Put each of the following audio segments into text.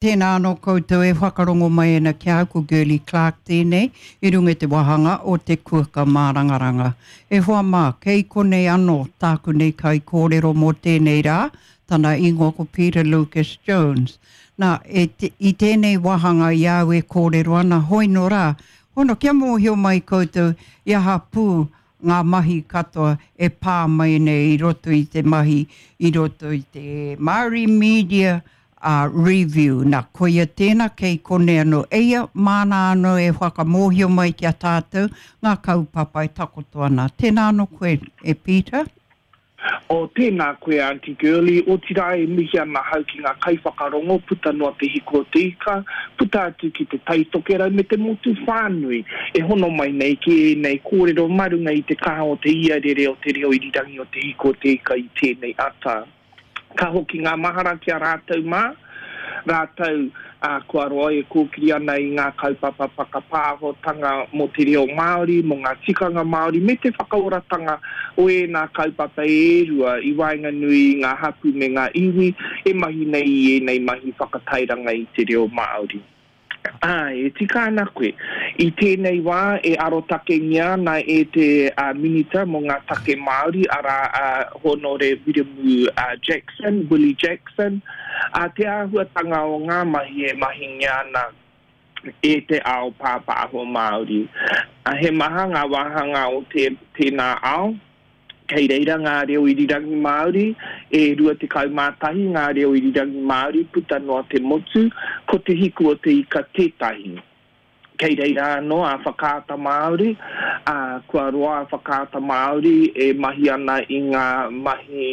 Tēnā anō koutou e whakarongo mai ana ki a au, ko Girlie Clarke tēnei, i runga i te wāhanga o Te Kuaka Mārangaranga. E hoa mā, kei konei anō tāku nei kaikōrero mō tēnei rā, tana ingoa ko Peter Lucas Jones. Nā, e, i tēnei wāhanga i a au e kōrero ana, hoi nō rā, hono kia mōhio mai koutou i aha pū ngā mahi katoa e pā mai nei i roto i te mahi, i roto i te Māori Media Review. Nā, koia tēnā kei konei anō. Eia, māna anō e whakamōhio mai ki a tātou ngā kaupapa e takoto ana. Tēnā anō koe, e Peter. O, tēnā koe Aunty Girlie, otirā e mihi ana ahau ki ngā kaiwhakarongo puta noa te hiku o te ika, puta atu ki te Tai Tokerau me te motu whānui e hono mai nei ki ēnei kōrero mā runga i te kaha o te iarere o te reo irirangi o te hiku o te ika i tēnei ata. Ka hoki ngā mahara ki a rātou mā, rātou, ā, kua roa e kōkiri ana i ngā kaupapa whakapāhotanga mō te reo Māori, mō ngā tikanga Māori, me te whakaoratanga o ēnā kaupapa e rua i waenganui i ngā hapū me ngā iwi e mahi nei i ēnei mahi whakatairanga i te reo Māori. Āe, e tika ana koe. I tēnei wā e arotakengia ana e te Minita mō ngā Take Māori, arā a Hōnore Wiremu Jackson, Willie Jackson, te āhuatanga o ngā mahi e mahingia ana e te ao pāpāho Māori. He maha ngā wāhanga o tēnā ao. Kei reira ngā reo irirangi Māori, e 21 ngā reo irirangi Māori puta noa te motu, ko Te Hiku o te Ika tētahi. Kei reira anō a Whakaata Māori, ā, kua roa a Whakaata Māori e mahi ana i ngā mahi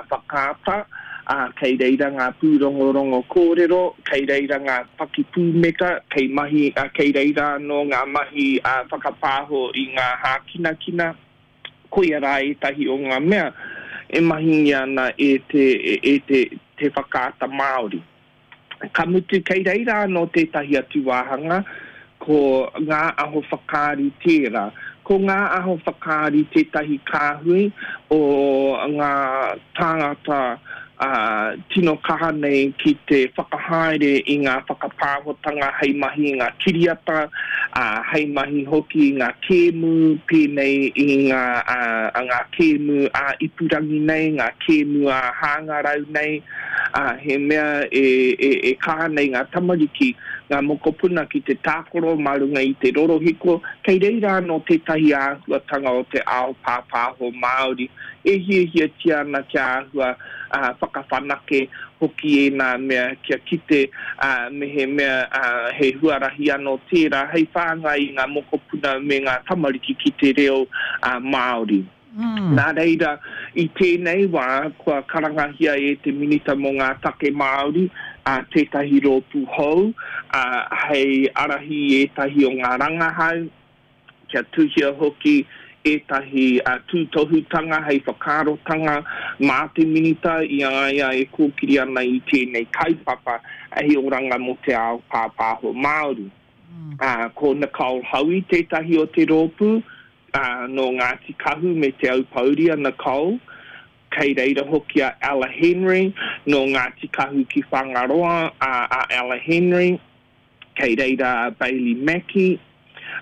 whakaata, ā, kei reira ngā pūrongorongo kōrero, kei reira ngā pakipūmeka, kei mahi, kei reira anō ngā mahi whakapāho i ngā hākinakina. Koia rā ētahi o ngā mea e mahingia ana e te, e te, te whakaata Māori. Ka mutu kei reira anō tētahi atu wāhanga, ko Ngā Aho Whakaari tērā. Ko Ngā Aho Whakaari tētahi kāhui o ngā tāngata ā, tino kaha nei ki te whakahaere i ngā whakapāhotanga hei mahi i ngā kiriata, ā, hei mahi hoki i ngā kēmu pēnei i ngā, ā, ngā kēmu ā-ipurangi nei, ngā kēmu ā-hāngarau nei, ā, he mea e, e, e kaha nei ngā tamariki, ngā mokopuna ki te tākaro mā runga i te rorohiko, kei reira anō tētahi āhuatanga o te ao pāpāho Māori. E hiahiatia ana kia āhua whakawhanake hoki ēnā mea, kia kite mehemea he huarahi anō tērā hei whāngai i ngā mokopuna me ngā tamariki ki te reo Māori. Nā reira, i tēnei wā kua karangahia e te Minita mō ngā Take Māori tētahi rōpū hou hei ārahi i ētahi o ngā rangahau, kia tuhia hoki ētahi tūtohutanga hei whakaarotanga mā te Minita i a ia e kōkiri ana i tēnei kaupapa hei oranga mō te ao pāpāho Māori. Ko Nicole Hoey tētahi o te rōpū, nō Ngāti Kahu me Te Aupōuri a Nicole. Kei reira hoki a Ella Henry, nō Ngāti Kahu ki Whangaroa a Ella Henry. Kei reira a Bailey Mackie,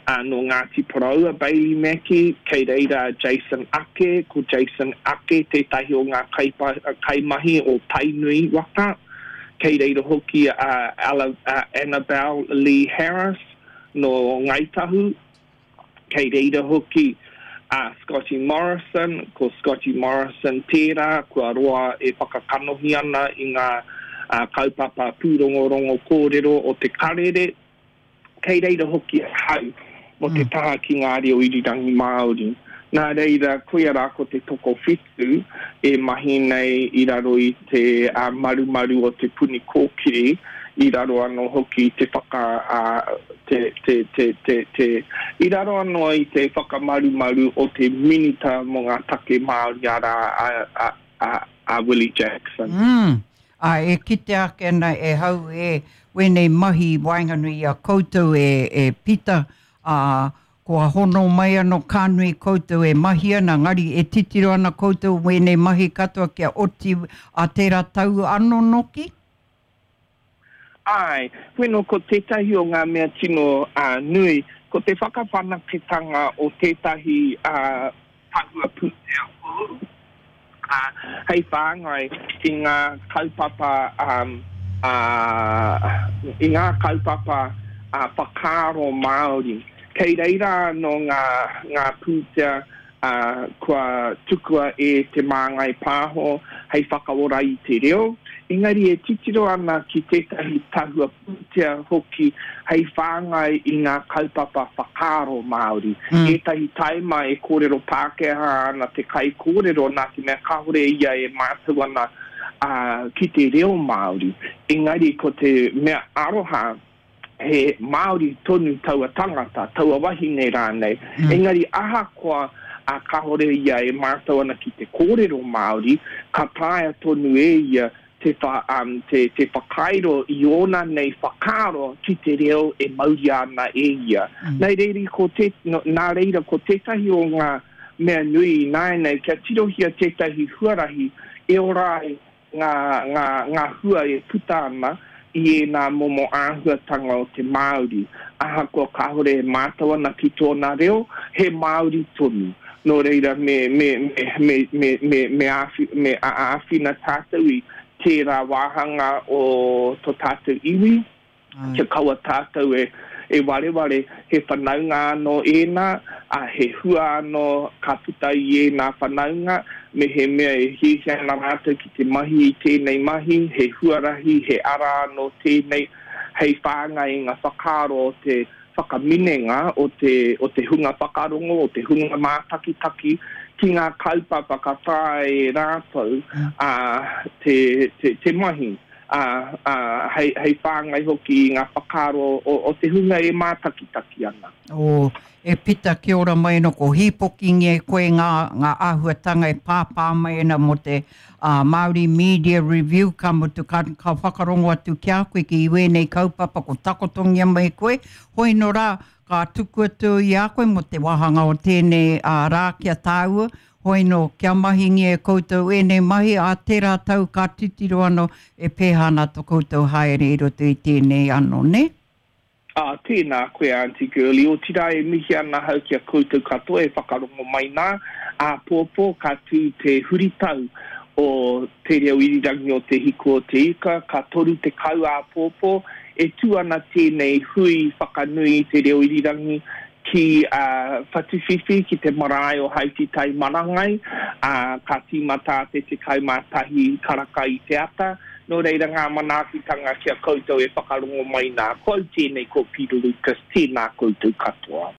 ā, nō Ngāti Porou a Bailey Mackie. Kei reira a Jason Ake, ko Jason Ake tētahi o ngā kaimahi o Tainui waka. Kei reira hoki a Annabelle Lee Harris, nō Ngāi Tahu. Kei reira hoki a Scotty Morrison, ko Scotty Morrison tērā kua roa e whakakanohi ana i ngā kaupapa pūrongorongo kōrero o te karere. Kei reira hoki ahau mō te taha ki ngā reo irirangi Māori. Nā reira, koia rā ko te tokowhitu e mahi nei i raro i te marumaru o Te Puni Kōkiri, i raro anō hoki i te whaka, te, te, te, te, te, i raro anō i te whakamarumaru o te Minita mō ngā Take Māori arā, a, a, a, a Willie Jackson. Mm. Ā, e kitea ake ana e hau e wēnei mahi i waenganui i a koutou e, e Pita, ā, kua hono mai anō ka nui koutou e mahi ana, engari e titiro ana koutou wēnei mahi katoa kia oti ā tērā tau anō noki? Āe, wheno ko tētahi o ngā mea tino nui, ko te whakawhanaketanga o tētahi tahua pūtea hou, ā, hei whāngai i ngā kaupapa, ā, i ngā kaupapa whakaaro Māori. Kei reira anō ngā, ngā pūtea ā, kua tukua e Te Māngai Pāho hei whakaora i te reo, engari e titiro ana ki tētahi tahua pūtea hoki hei whāngai i ngā kaupapa whakaaro Māori. Ētahi taima e kōrero Pākehā ana te kaikōrero nā te mea kāore ia e mātau ana ki te reo Māori, engari ko te mea aroha, he Māori tonu taua tangata, taua wahine rānei. Mm. Engari ahakoa a kāore ia e mātau ana ki te kōrero Māori, ka taea tonu e ia te, wha, um, te, te whakairo i ōna nei whakaaro ki te reo e mauria ana e ia. Mm. Nei reiri, ko te, no, nā reira, ko tētahi o ngā mea nui ināianei, kia tirohia tētahi huarahi e ora ai ngā, ngā, ngā hua e puta ana i ēnā momo āhuatanga o te Māori. Ahakoa kāore e mātau ana ki tōna reo, he Māori tonu. Nō reira, me, me, me, me, me, me, me, āwhi, me āwhina tātou i tērā wāhanga o tō tātou iwi, Kia kaua tātou e, e wareware, he whanaunga anō ēnā, ā, he hua anō ka puta i ēnā whanaunga, mehemea e hiahia ana rātou ki te mahi i tēnei mahi, he huarahi, he ara anō tēnei hei whāngai i ngā whakaaro o te whakaminenga, o te, o te hunga whakarongo, o te hunga mātakitaki ki ngā kaupapa ka taea e rātou, ā, te, te, te mahi. ā, ā, hei, hei whāngai hoki i ngā whakaaro o, o te hunga e mātakitaki ana. O, e Pita, kia ora mai ana, ko hīpokingia e koe ngā, ngā āhuatanga e pāpā mai ana mō te ā, Māori Media Review, ka mutu, ka, ka whakarongo atu ki a koe ki wēnei kaupapa ko takotongia mai koe, hoi nō rā, ka tuku atu i a koe mō te wāhanga o tēnei ā, rā ki a tāua, Hoi nō, kia mahingia e koutou ēnei mahi, ā tērā tau ka titiro anō e pēhā ana to koutou haere i roto i tēnei anō, nē? Ā, tēnā koe Aunty Girlie, otirā e mihi ana ahau ki a koutou katoa e whakarongo mai nā, āpōpō ka tū te huritau o Te Reo Irirangi o Te Hiku o Te Ika, ka 30 āpōpō, e tū ana tēnei hui whakanui i te reo irirangi ki Whatuwhiwhi, ki te marae o Haititai Marangai, ā, ka tīmata te 11 karaka i te ata. Nō reira ngā manaakitanga ki a koutou e whakarongo mai nā. Ko au tēnei ko Peter Lucas, tēnā koutou katoa.